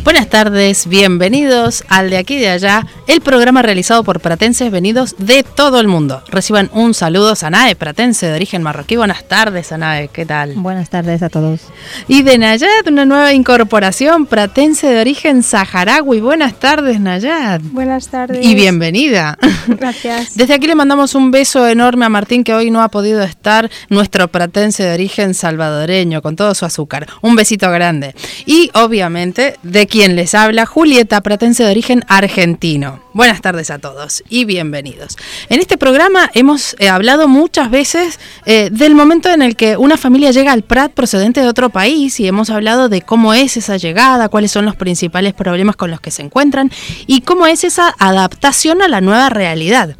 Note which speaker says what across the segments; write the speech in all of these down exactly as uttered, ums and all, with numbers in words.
Speaker 1: Buenas tardes, bienvenidos al De Aquí y de Allá, el programa realizado por pratenses venidos de todo el mundo. Reciban un saludo, Sanae, pratense de origen marroquí. Buenas tardes, Sanae, ¿qué tal?
Speaker 2: Buenas tardes a todos.
Speaker 1: Y de Nayat, una nueva incorporación, pratense de origen saharaui. Buenas tardes, Nayat.
Speaker 3: Buenas tardes.
Speaker 1: Y bienvenida.
Speaker 3: Gracias.
Speaker 1: Desde aquí le mandamos un beso enorme a Martín, que hoy no ha podido estar, nuestro pratense de origen salvadoreño, con todo su azúcar. Un besito grande. Y, obviamente, de quien les habla, Julieta, pratense de origen argentino. Buenas tardes a todos y bienvenidos. En este programa hemos eh, hablado muchas veces eh, del momento en el que una familia llega al Prat procedente de otro país, y hemos hablado de cómo es esa llegada, cuáles son los principales problemas con los que se encuentran y cómo es esa adaptación a la nueva realidad.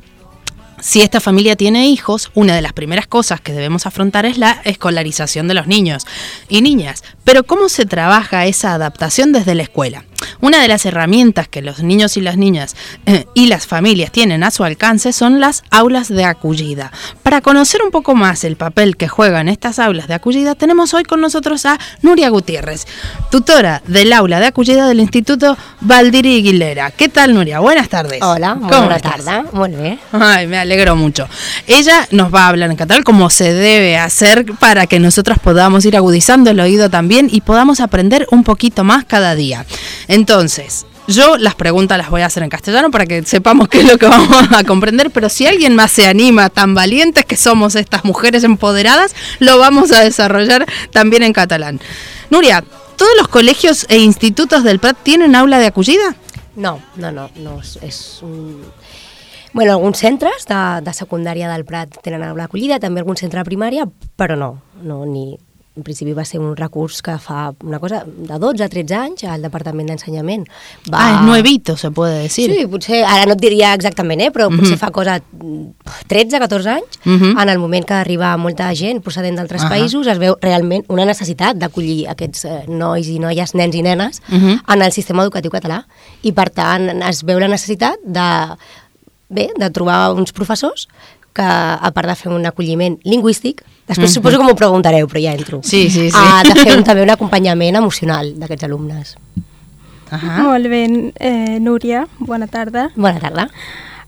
Speaker 1: Si esta familia tiene hijos, una de las primeras cosas que debemos afrontar es la escolarización de los niños y niñas. Pero ¿cómo se trabaja esa adaptación desde la escuela? Una de las herramientas que los niños y las niñas eh, y las familias tienen a su alcance son las aulas de acogida. Para conocer un poco más el papel que juegan estas aulas de acogida, tenemos hoy con nosotros a Nuria Gutiérrez, tutora del aula de acogida del Instituto Baldiri Aguilera. ¿Qué tal, Nuria? Buenas tardes.
Speaker 4: Hola, buenas tardes. Muy bien.
Speaker 1: Ay, me alegro mucho. Ella nos va a hablar en catalán como se debe hacer para que nosotros podamos ir agudizando el oído también y podamos aprender un poquito más cada día. Entonces, yo las preguntas las voy a hacer en castellano para que sepamos qué es lo que vamos a comprender, pero si alguien más se anima, tan valientes que somos estas mujeres empoderadas, lo vamos a desarrollar también en catalán. Nuria, ¿todos los colegios e institutos del Prat tienen aula de acogida?
Speaker 4: No, no, no, no és, és un... Bueno, alguns centres de, de secundària del Prat tenen aula d'acollida, també algun centre de primària, però no, no ni... En principi va ser un recurs que fa una cosa de dotze a tretze anys al Departament d'Ensenyament. Va...
Speaker 1: Ah, és nuevito, se puede decir.
Speaker 4: Sí, potser, ara no et diria exactament, eh, però uh-huh. potser fa cosa tretze a catorze anys, uh-huh. en el moment que arriba molta gent procedent d'altres uh-huh. països, es veu realment una necessitat d'acollir aquests eh, nois i noies, nens i nenes, uh-huh. en el sistema educatiu català. I per tant es veu la necessitat de, bé, de trobar uns professors que, a part de fer un acolliment lingüístic, després mm-hmm. suposo que m'ho preguntareu, però ja entro,
Speaker 1: sí, sí, sí.
Speaker 4: Uh, de fer un, també un acompanyament emocional d'aquests alumnes.
Speaker 3: Uh-huh. Molt bé, eh, Núria, bona tarda.
Speaker 4: Bona tarda.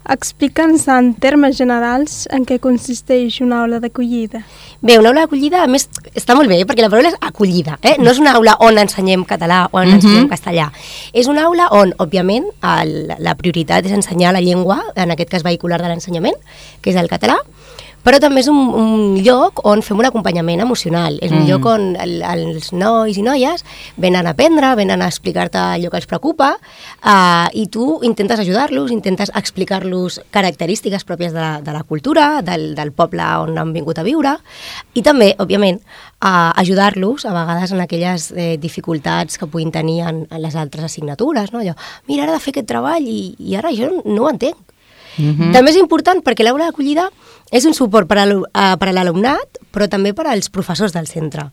Speaker 3: Explica'ns en termes generals en què consisteix una aula d'acollida.
Speaker 4: Bé, una aula d'acollida, a més, està molt bé, perquè la paraula és acollida, eh? No és una aula on ensenyem català o on uh-huh. ensenyem castellà. És una aula on, òbviament, el, la prioritat és ensenyar la llengua, en aquest cas vehicular de l'ensenyament, que és el català, però també és un, un lloc on fem un acompanyament emocional. És un mm. lloc on el, els nois i noies venen a aprendre, venen a explicar-te allò que els preocupa, uh, i tu intentes ajudar-los, intentes explicar-los característiques pròpies de la, de la cultura, del, del poble on han vingut a viure, i també, òbviament, uh, ajudar-los a vegades en aquelles eh, dificultats que puguin tenir en, en les altres assignatures, no? Allò, mira, ara he de fer aquest treball i, i ara jo no ho entenc. Uh-huh. També és important perquè l'aula d'acollida és un suport per a l'alumnat, però també per als professors del centre.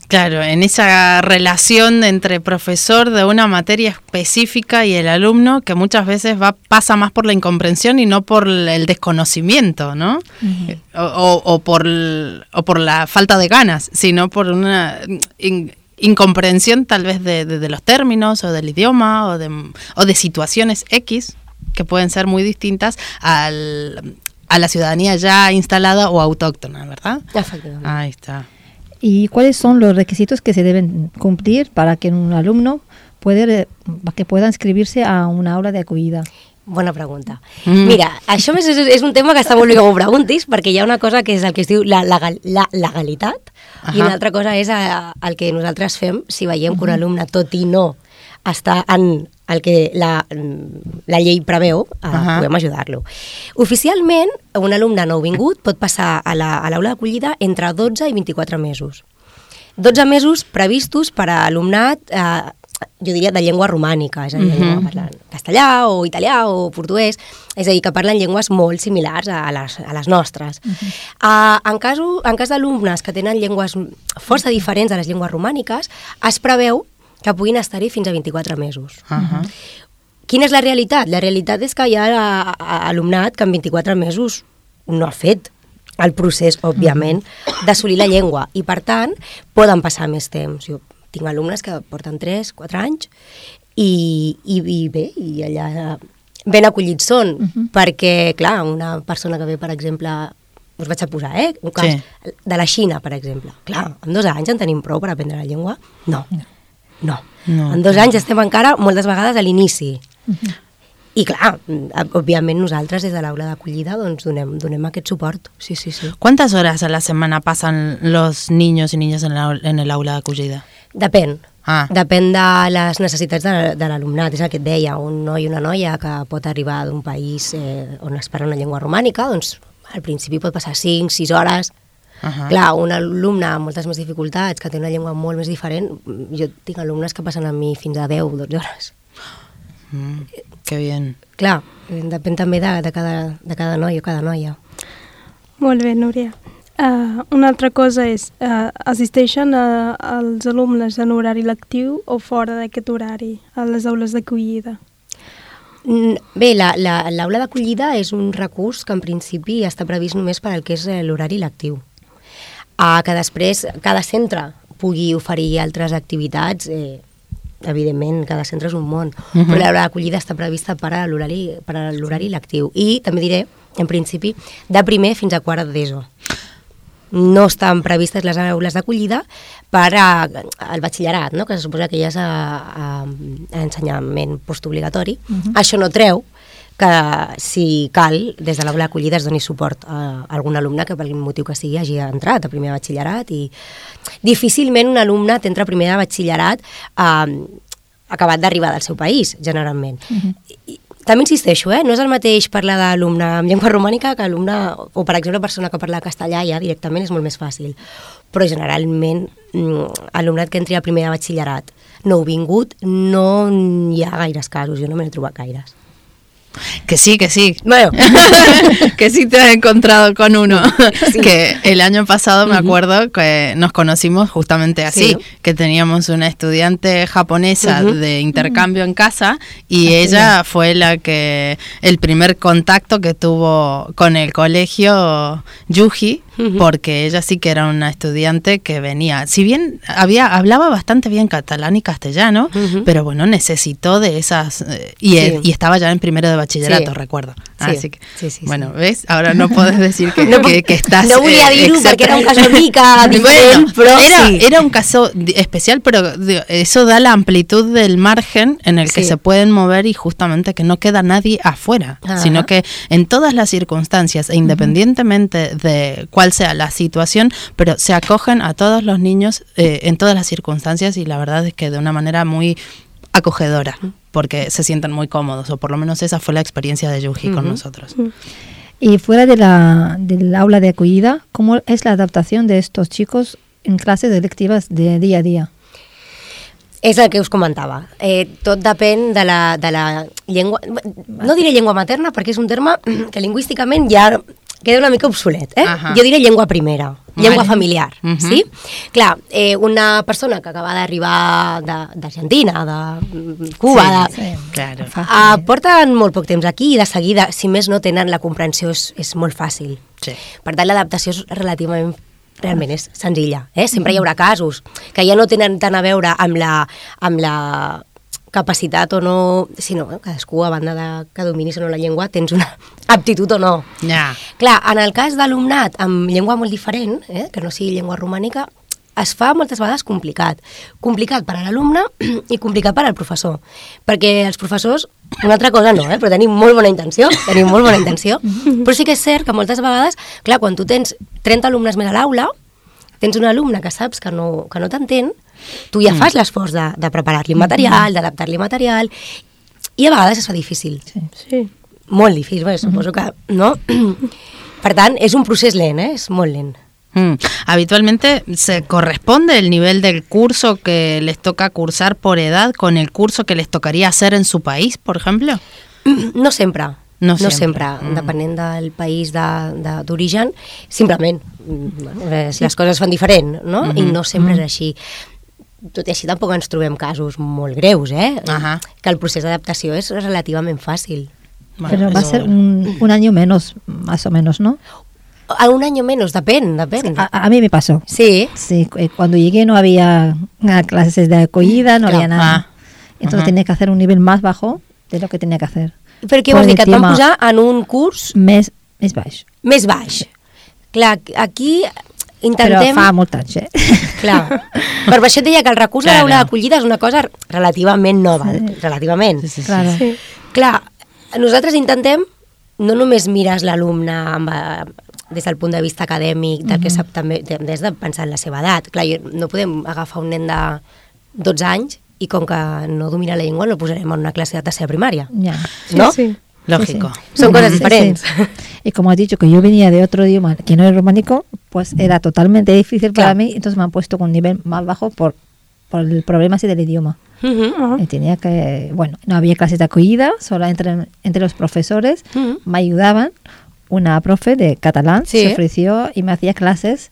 Speaker 1: Claro, en esa relación entre profesor de una materia específica y el alumno, que muchas veces va pasa más por la incomprensión y no por el desconocimiento, ¿no? Uh-huh. o, o, o, por, o por la falta de ganas, sino por una... In, incomprensión tal vez de, de, de los términos o del idioma o de, o de situaciones X que pueden ser muy distintas al, a la ciudadanía ya instalada o autóctona, ¿verdad?
Speaker 4: Efectivamente.
Speaker 1: Ahí está.
Speaker 2: ¿Y cuáles son los requisitos que se deben cumplir para que un alumno puede, que pueda inscribir-se a una aula de acogida?
Speaker 4: Bona pregunta. Mm. Mira, això és, és un tema que està molt bé que m'ho preguntis, perquè hi ha una cosa que és el que es diu la, la, la legalitat, uh-huh. i una altra cosa és a, el que nosaltres fem si veiem que un alumne, tot i no està en el que la, la llei preveu, eh,
Speaker 1: Uh-huh.
Speaker 4: podem ajudar-lo. Oficialment, un alumne nouvingut pot passar a la- a l'aula d'acollida entre dotze i vint-i-quatre mesos. dotze mesos previstos per a alumnat, eh, jo diria, de llengua romànica, és a dir, de llengua
Speaker 1: Mhm.
Speaker 4: parlant castellà o italià o portuguès, és a dir, que parlen llengües molt similars a les, a les nostres. Uh, en, caso, en cas d'alumnes que tenen llengües força diferents a les llengües romàniques, es preveu que puguin estar-hi fins a vint-i-quatre mesos.
Speaker 1: Uh-huh.
Speaker 4: Quina és la realitat? La realitat és que hi ha a, a, alumnat que en vint-i-quatre mesos no ha fet el procés, òbviament, d'assolir la llengua i, per tant, poden passar més temps. Jo tinc alumnes que porten tres, quatre anys i, i, i bé, i allà ben acollits són,
Speaker 2: Mhm.
Speaker 4: perquè, clar, una persona que ve, per exemple, us vaig a posar, eh? Un cas
Speaker 1: Sí.
Speaker 4: de la Xina, per exemple. Clar, en dos anys en tenim prou per aprendre la llengua? No. No.
Speaker 1: No,
Speaker 4: en dos
Speaker 1: clar.
Speaker 4: anys estem encara moltes vegades a l'inici. I clar, òbviament nosaltres des de l'aula d'acollida doncs donem, donem aquest suport. Sí, sí, sí.
Speaker 1: ¿Cuántas horas a la semana pasan los niños y niñas en, la, en el aula de acogida?
Speaker 4: Depèn.
Speaker 1: Ah.
Speaker 4: Depèn de les necessitats de, de l'alumnat. És el que et deia, un noi o una noia que pot arribar d'un país eh, on es parla una llengua romànica, doncs al principi pot passar cinc, sis hores.
Speaker 1: Ajá.
Speaker 4: Clar, un alumne amb moltes més dificultats, que té una llengua molt més diferent, jo tinc alumnes que passen amb mi fins a deu, dotze hores.
Speaker 1: Mm, qué bien.
Speaker 4: Clar, eh, depèn també de, de, cada, de cada noi o cada noia.
Speaker 3: Molt bé, Núria. Uh, una altra cosa és, uh, assisteixen a, als alumnes en horari lectiu o fora d'aquest horari, a les aules d'acollida?
Speaker 4: Mm, Bé, la- la- l'aula d'acollida és un recurs que en principi està previst només per al que és eh, l'horari lectiu. Uh, que després cada centre pugui oferir altres activitats, eh, evidentment, cada centre és un món,
Speaker 1: Mhm.
Speaker 4: però l'aula d'acollida està prevista per a l'horari per a l'horari lectiu. I també diré, en principi, de primer fins a quart d'ESO. No estan previstes les aules d'acollida per a, al batxillerat, no? Que se suposa que ja és a, a, a ensenyament postobligatori.
Speaker 2: Mhm.
Speaker 4: Això no treu que, si cal, des de l'aula d'acollida es doni suport a algun alumne que per quin motiu que sigui hagi entrat a primer de batxillerat, i difícilment un alumne t'entra a primer de batxillerat eh, acabat d'arribar del seu país, generalment.
Speaker 2: Mhm.
Speaker 4: I, també insisteixo, eh? No és el mateix parlar d'alumne amb llengua romànica que alumne, o per exemple persona que parla castellà ja directament és molt més fàcil. Però generalment mm, alumnat que entri a primer de batxillerat nouvingut no hi ha gaires casos, jo no me n'he trobat gaires.
Speaker 1: Que sí, que sí.
Speaker 4: Bueno,
Speaker 1: Que sí te has encontrado con uno.
Speaker 4: Sí.
Speaker 1: Que el año pasado me
Speaker 4: Ujú.
Speaker 1: acuerdo que nos conocimos justamente así,
Speaker 4: Sí.
Speaker 1: que teníamos una estudiante japonesa
Speaker 4: Ujú.
Speaker 1: de intercambio en casa y
Speaker 2: Ah,
Speaker 1: ella fue la que, el primer contacto que tuvo con el colegio Yuji,
Speaker 4: Ujú.
Speaker 1: porque ella sí que era una estudiante que venía, si bien había hablaba bastante bien catalán y castellano,
Speaker 4: Ujú.
Speaker 1: pero bueno, necesitó de esas, eh, y,
Speaker 4: Sí.
Speaker 1: y estaba ya en primero de bachillerato,
Speaker 4: Sí.
Speaker 1: recuerdo.
Speaker 4: Sí.
Speaker 1: Así que,
Speaker 4: Sí, sí,
Speaker 1: bueno,
Speaker 4: sí.
Speaker 1: ¿ves? Ahora no puedes decir que,
Speaker 4: No,
Speaker 1: que, que estás...
Speaker 4: no volia
Speaker 1: eh,
Speaker 4: dir-ho
Speaker 1: excepto-
Speaker 4: perquè era un cas una mica diferent, però
Speaker 1: era,
Speaker 4: sí.
Speaker 1: era un caso di- especial, pero di- eso da la amplitud del margen en el que
Speaker 4: Sí.
Speaker 1: se pueden mover y justamente que no queda nadie afuera,
Speaker 4: Ajá.
Speaker 1: sino que en todas las circunstancias, e independientemente de cuál sea la situación, pero se acogen a todos los niños eh, en todas las circunstancias, y la verdad es que de una manera muy acogedora, porque se sienten muy cómodos, o por lo menos esa fue la experiencia de Yuji con
Speaker 4: Ujú.
Speaker 1: nosotros.
Speaker 2: Y fuera de la, del aula de acogida, ¿cómo es la adaptación de estos chicos en clases electivas de día a día?
Speaker 4: És el que us comentava. Eh, tot depèn de la, de la llengua... No diré llengua materna perquè és un terme que lingüísticament ja queda una mica obsolet. Eh?
Speaker 1: Ahà.
Speaker 4: Jo diré llengua primera, llengua
Speaker 1: Vale.
Speaker 4: familiar.
Speaker 1: Mhm.
Speaker 4: Sí? Clar, eh, una persona que acaba d'arribar de- d'Argentina, de, de Cuba...
Speaker 1: Sí,
Speaker 4: de,
Speaker 1: claro.
Speaker 4: Uh, porten molt poc temps aquí i de seguida, si més no tenen la comprensió, és, és molt fàcil.
Speaker 1: Sí.
Speaker 4: Per tant, l'adaptació és relativament, realment és senzilla. Eh? Sempre hi haurà casos que ja no tenen tant a veure amb la, amb la capacitat o no, sinó eh, cadascú, a banda de que dominis o no la llengua, tens una aptitud o no.
Speaker 1: Ya.
Speaker 4: Clar, en el cas d'alumnat amb llengua molt diferent, eh, que no sigui llengua romànica, es fa moltes vegades complicat. Complicat per a l'alumne i complicat per al professor. Perquè els professors, una altra cosa no, eh, però tenim molt bona intenció, tenim molt bona intenció, però sí que és cert que moltes vegades, clar, quan tu tens trenta alumnes més a l'aula, tens un alumne que saps que no, que no t'entén, tu ja fas l'esforç de, de preparar-li material, d'adaptar-li material, i a vegades es fa difícil.
Speaker 2: Sí.
Speaker 3: Sí.
Speaker 4: Molt difícil, bé, suposo que... no? Per tant, és un procés lent, eh? És molt lent.
Speaker 1: Mm. Habitualmente se corresponde el nivel del curso que les toca cursar por edad con el curso que les tocaría hacer en su país, por ejemplo?
Speaker 4: No sempre.
Speaker 1: No
Speaker 4: No
Speaker 1: sempre.
Speaker 4: sempre,
Speaker 1: Mm.
Speaker 4: depenent del país de- de- d'origen, simplement mm, eh, si les coses es fan diferent, no?
Speaker 1: Mhm.
Speaker 4: I no sempre és així. Tot i així tampoc ens trobem casos molt greus, eh?
Speaker 1: Ajá.
Speaker 4: Que el procés d'adaptació és relativament fàcil.
Speaker 1: Bueno,
Speaker 2: Pero va a
Speaker 1: eso-
Speaker 2: ser un, un año menos, más o menos, ¿no?
Speaker 4: A un año menos, depèn, depèn.
Speaker 2: A, a mí me pasó.
Speaker 4: Sí,
Speaker 2: Sí, cu- cuando llegué no había ah, clases de acogida, no
Speaker 4: Claro.
Speaker 2: había nada.
Speaker 1: Ah.
Speaker 2: Entonces
Speaker 1: Ajá.
Speaker 2: tenía que hacer un nivel más bajo de lo que tenía que hacer.
Speaker 4: però què
Speaker 2: Por
Speaker 4: vols dir?
Speaker 2: el
Speaker 4: Que et van
Speaker 2: tema-
Speaker 4: posar en un curs
Speaker 2: Més, més baix.
Speaker 4: més baix. Clar, aquí
Speaker 2: Però
Speaker 4: intentem...
Speaker 2: fa molt anys, eh?
Speaker 4: Clar. Per això et deia que el recurs
Speaker 1: Claro.
Speaker 4: a l'aula d'acollida és una cosa relativament nova,
Speaker 2: Sí.
Speaker 4: relativament.
Speaker 1: Sí, sí, sí.
Speaker 2: Claro.
Speaker 3: Sí.
Speaker 4: Clar, nosaltres intentem no només mires l'alumne amb, eh, des del punt de vista acadèmic, del que sap també, des de pensar en la seva edat. Clar, jo- no podem agafar un nen de dotze anys i com que no domina la llengua no el posarem en una clase de tercera primària.
Speaker 2: Ya.
Speaker 4: ¿No?
Speaker 3: Sí, sí.
Speaker 1: Lógico.
Speaker 2: Sí,
Speaker 4: Son cosas
Speaker 2: Sí,
Speaker 4: diferentes.
Speaker 2: sí. Y como has dicho que yo venía de otro idioma que no es románico, pues era totalmente difícil para
Speaker 4: Claro.
Speaker 2: mí, entonces me han puesto con un nivel más bajo por, por el problema así del idioma.
Speaker 4: Mhm.
Speaker 3: Ah.
Speaker 2: Y tenía que, bueno, no había clases de acogida, solo entre, entre los profesores
Speaker 4: Mhm.
Speaker 2: me ayudaban. Una profe de catalán
Speaker 4: Sí.
Speaker 2: se ofreció y me hacía clases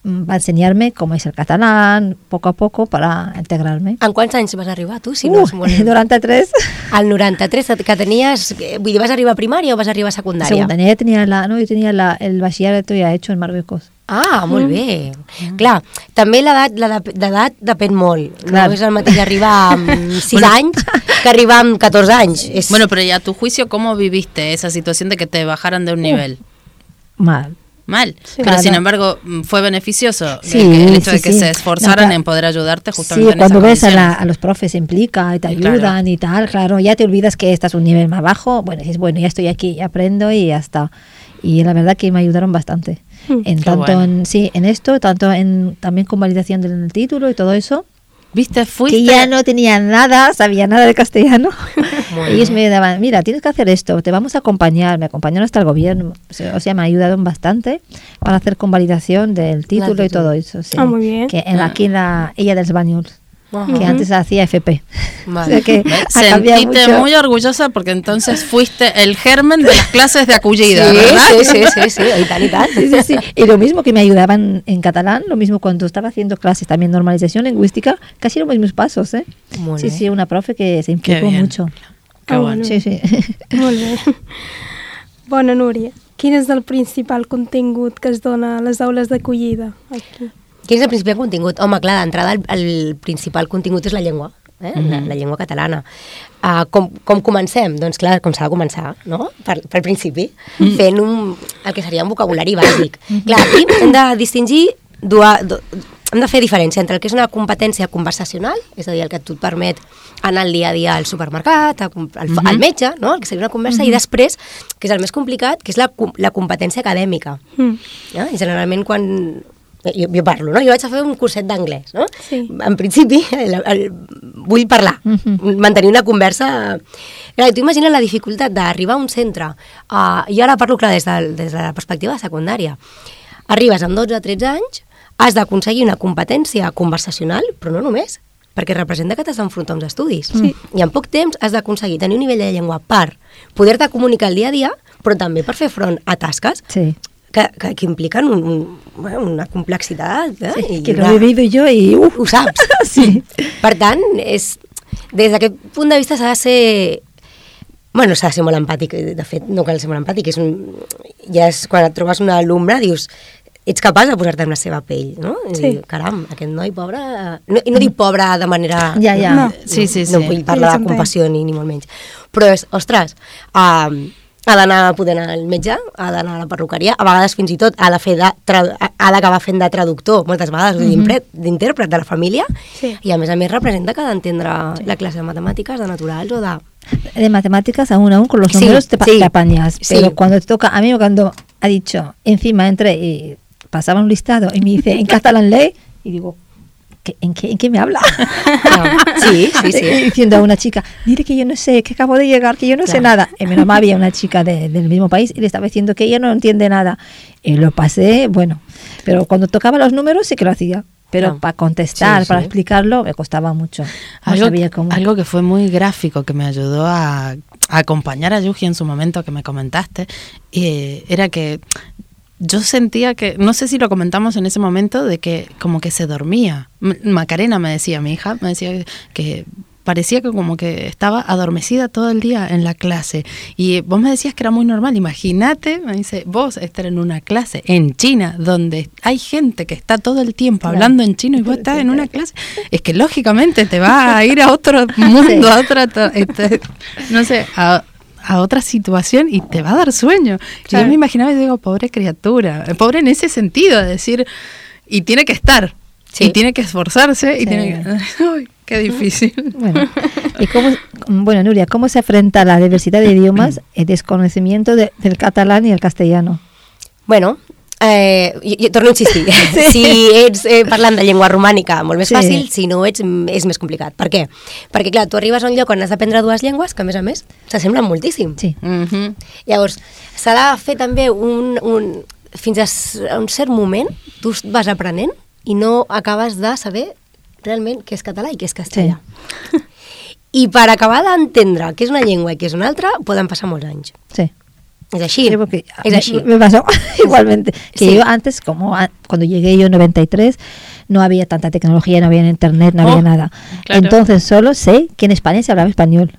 Speaker 2: mm, para enseñarme cómo es el catalán, poco a poco, para integrarme.
Speaker 4: En quants anys vas arribar, tu? Si no
Speaker 2: Uh,
Speaker 4: és molt...
Speaker 2: durante tres.
Speaker 4: Al noranta-tres, que tenies... eh, Vull dir, vas arribar a primària o vas arribar a secundària?
Speaker 2: Secundaria, yo tenía, la, no, yo tenía la, el bachillerato ya hecho en Marruecos.
Speaker 4: Ah, molt bé. Clar, també l'edat l'edat- l'edat depèn molt.
Speaker 2: Clar.
Speaker 4: No és el mateix arribar amb sis
Speaker 1: Bueno.
Speaker 4: anys que arribar amb catorze anys. És...
Speaker 1: Bueno, pero y a tu juicio, ¿cómo viviste esa situación de que te bajaran de un nivel?
Speaker 2: Mal.
Speaker 1: Mal.
Speaker 3: Sí.
Speaker 1: Pero
Speaker 2: Claro.
Speaker 1: sin embargo, mm, fue beneficioso
Speaker 2: Sí,
Speaker 1: el, que- el hecho
Speaker 2: sí,
Speaker 1: de que
Speaker 2: sí.
Speaker 1: se esforzaran
Speaker 2: No, claro.
Speaker 1: en poder ayudarte
Speaker 2: Sí,
Speaker 1: justamente en
Speaker 2: cuando
Speaker 1: esas
Speaker 2: ves a, la-
Speaker 1: condiciones.
Speaker 2: a los profes se implica y te
Speaker 1: Y claro.
Speaker 2: ayudan y tal, claro, ya te olvidas que estás un nivel más bajo. Bueno, dices, bueno, ya estoy aquí, aprendo y ya está. Y la verdad que me ayudaron bastante.
Speaker 3: Mm.
Speaker 2: En
Speaker 1: Qué
Speaker 2: tanto
Speaker 1: bueno.
Speaker 2: en, sí, en esto, tanto en también con validación del título y todo eso,
Speaker 1: ¿Viste? Fuiste...
Speaker 2: que ya no tenía nada, sabía nada de castellano.
Speaker 4: Muy
Speaker 2: Ellos
Speaker 4: bien.
Speaker 2: me daban, mira, tienes que hacer esto, te vamos a acompañar, me acompañaron hasta el gobierno, o sea, o sea, me ayudaron bastante para hacer convalidación del título y
Speaker 4: título.
Speaker 2: todo eso. Sí.
Speaker 3: Ah, muy bien.
Speaker 2: Que en, aquí en la Ella dels Bañuls,
Speaker 4: Ajá.
Speaker 2: que antes hacía F P.
Speaker 4: Vale.
Speaker 2: O sea que ha cambiado
Speaker 1: Sentite
Speaker 2: mucho.
Speaker 1: muy orgullosa porque entonces fuiste el germen de las clases de acogida,
Speaker 4: Sí,
Speaker 1: ¿verdad?
Speaker 4: sí, sí, sí, sí, i tant, i tant.
Speaker 2: Sí, sí, sí. Y lo mismo que me ayudaban en catalán, lo mismo cuando estaba haciendo clases también normalización lingüística, casi los mismos pasos, ¿eh?
Speaker 4: Molt
Speaker 2: Sí,
Speaker 4: bé.
Speaker 2: sí, una profe que se implicó
Speaker 1: bien.
Speaker 2: mucho.
Speaker 1: Qué
Speaker 3: Ah,
Speaker 1: bueno.
Speaker 3: bueno.
Speaker 2: Sí, sí.
Speaker 3: Molt bé. Bona, Núria. Quin és el principal contingut que es dona a les aules d'acollida aquí?
Speaker 4: Quin és el principal contingut? Home, clar, d'entrada el, el principal contingut és la llengua, eh? la, la llengua catalana. Uh, com, com comencem? Doncs clar, com s'ha de començar, no? Per, pel principi, mm. fent un, el que seria un vocabulari bàsic. Clar, aquí hem de distingir, dua, du, hem de fer diferència entre el que és una competència conversacional, és a dir, el que tu et permet anar al dia a dia al supermercat, a, comp- al, al metge, no? El que seria una conversa, i després, que és el més complicat, que és la, com- la competència acadèmica.
Speaker 3: Mm.
Speaker 4: No? I generalment quan... Jo, jo parlo, no? Jo vaig a fer un curset d'anglès, no?
Speaker 3: Sí.
Speaker 4: En principi, el, el, vull parlar,
Speaker 2: Mhm.
Speaker 4: mantenir una conversa... Clar, tu imagines la dificultat d'arribar a un centre, uh, jo ara parlo, clar, des de, des de la perspectiva de secundària. Arribes amb dotze o tretze anys, has d'aconseguir una competència conversacional, però no només, perquè representa que t'has d'enfrontar a uns estudis.
Speaker 3: Sí.
Speaker 4: I en poc temps has d'aconseguir tenir un nivell de llengua per poder-te comunicar el dia a dia, però també per fer front a tasques
Speaker 2: Sí.
Speaker 4: que, que, que impliquen un, un, bueno, una complexitat. Eh?
Speaker 2: Sí,
Speaker 4: I
Speaker 2: que lo
Speaker 4: una-
Speaker 2: he vivido yo y uf,
Speaker 4: Ho saps.
Speaker 2: Sí.
Speaker 4: Per tant, és, des d'aquest punt de vista s'ha de ser... Bueno, s'ha de ser molt empàtic. De fet, no cal ser molt empàtic. És un, ja és quan et trobes un alumne, dius, ets capaç de posar-te en la seva pell, no? I
Speaker 3: Sí.
Speaker 4: dir, caram, aquest noi pobre... No, I no dic pobre de manera...
Speaker 2: Ja, ja.
Speaker 3: No.
Speaker 1: Sí, sí, sí.
Speaker 4: No vull parlar
Speaker 3: Sí,
Speaker 4: de compassió ni, ni molt menys. Però és, ostres, um, ha d'anar a poder anar al metge, ha d'anar a la perruqueria, a vegades fins i tot ha de fer de, tra- ha d'acabar fent de traductor, moltes vegades, mm -hmm. d'intèrpret de la família,
Speaker 3: Sí.
Speaker 4: i a més a més representa que ha d'entendre la classe de matemàtiques, de naturals o de...
Speaker 2: de matemáticas aún aún con los
Speaker 4: Sí,
Speaker 2: números te, pa-
Speaker 4: sí,
Speaker 2: te apañas,
Speaker 4: sí.
Speaker 2: pero cuando te toca, a mí cuando ha dicho, encima entré y pasaba un listado y me dice en catalán ley, y digo, ¿qué, en, qué, ¿en qué me habla?
Speaker 4: No. Sí, sí, sí.
Speaker 2: Y diciendo a una chica, mire que yo no sé, que acabo de llegar, que yo no claro. sé nada. Y menos mal había una chica de, del mismo país y le estaba diciendo que ella no entiende nada. Y lo pasé, bueno, pero cuando tocaba los números sí que lo hacía. Pero no. para contestar, sí, para sí. explicarlo, me costaba mucho. No
Speaker 1: algo,
Speaker 2: sabía cómo.
Speaker 1: Algo que fue muy gráfico, que me ayudó a, a acompañar a Yuji en su momento, que me comentaste, eh, era que yo sentía que, no sé si lo comentamos en ese momento, de que como que se dormía. Macarena me decía, mi hija, me decía que parecía que como que estaba adormecida todo el día en la clase. Y vos me decías que era muy normal. Imagínate, me dice, vos estar en una clase en China, donde hay gente que está todo el tiempo claro. hablando en chino y vos estás en una clase. Es que lógicamente te va a ir a otro mundo, sí. a otra, este, no sé, a... a otra situación y te va a dar sueño. Claro. Yo me imaginaba y digo, pobre criatura, pobre en ese sentido, de decir, y tiene que estar, sí. y tiene que esforzarse, sí. y tiene que... Ay, qué difícil.
Speaker 2: Bueno, y cómo, bueno, Núria, ¿cómo se afronta la diversidad de idiomas, el desconocimiento de, del catalán y el castellano?
Speaker 4: Bueno, Eh, jo, jo torno a insistir, sí. si ets eh, parlant de llengua romànica molt més sí. fàcil, si no ets és més complicat. Per què? Perquè clar, tu arribes a un lloc on has d'aprendre dues llengües que a més a més s'assemblen moltíssim.
Speaker 2: Sí.
Speaker 4: Mm-hmm. Llavors, s'ha de fer també un, un... fins a un cert moment tu vas aprenent i no acabes de saber realment què és català i què és castellà. Sí. I per acabar d'entendre què és una llengua i què és una altra poden passar molts anys.
Speaker 2: Sí.
Speaker 4: Es así, sí, porque es así.
Speaker 2: Me, me pasó igualmente. Que sí. yo antes, como a, cuando llegué yo en noventa y tres, no había tanta tecnología, no había internet, no oh, había nada. Claro. Entonces solo sé que en España se hablaba español.